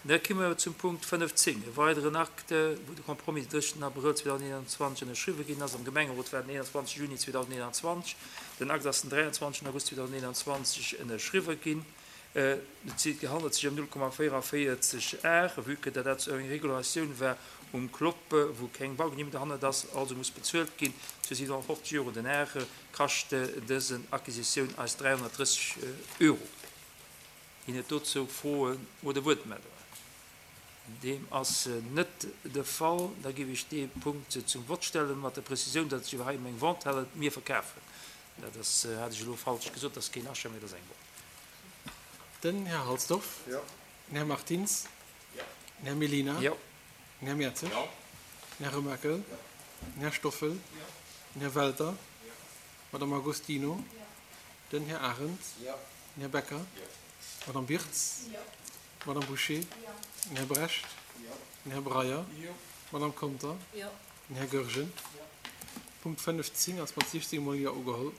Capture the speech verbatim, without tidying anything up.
Da komme mer zum Punkt fënnefzéng, e weideren Acte, wou de Compromis den drëssegsten Abrëll zweedausendeenanzwanzeg ënnerschriwwe ginn ass am Gemengerot war den eenanzwanzeg Juni zweedausendeenanzwanzeg. Den Akt ass den dräianzwanzegsten August zweedausendeenanzwanzeg ënnerschriwwe ginn. Et handelt sech ëm null Komma véierundavéierzeg Ar, vue que dat dat eng Regulatioun war um Clopp, wou keng Baugenehmegung derhannert ass, also muss bezuelt ginn. Zu siwenhonnertfofzeg Euro den Ar kascht dësen Acquisitioun eis dräihonnertdrësseg Euro. Ginn et dozou Froen oder Wuertmeldungen? Deem ass net de Fall. Da géif ech dee Punkt zum Vott stellen, mat der Prezisioun, datt et sech hei ëm eng Vente handelt. Mir verkafen. Dat ass, hat ech elo falsch gesot, dat ass keen Achat, mee dat ass eng Vente. Den Här Halsdorf. Jo. Den Här Martins. Jo. Den Här Mellina. Jo. Den Här Mertzig. Jo. Den Här Remakel. Jo. Den Här Stoffel. Jo. Den Här Welter. Jo. Madame Agostino. Jo. Den Här Arendt. Jo. Den Här Becker. Jo. Madame Birtz. Jo. Madame Bouché. Jo. Den Här Brecht. Jo. Den Här Breyer. Jo. Madame Conter. Jo. Den Här Goergen. Jo. Punkt fënnefzéng ass mat siechzéng Mol Jo ugeholl.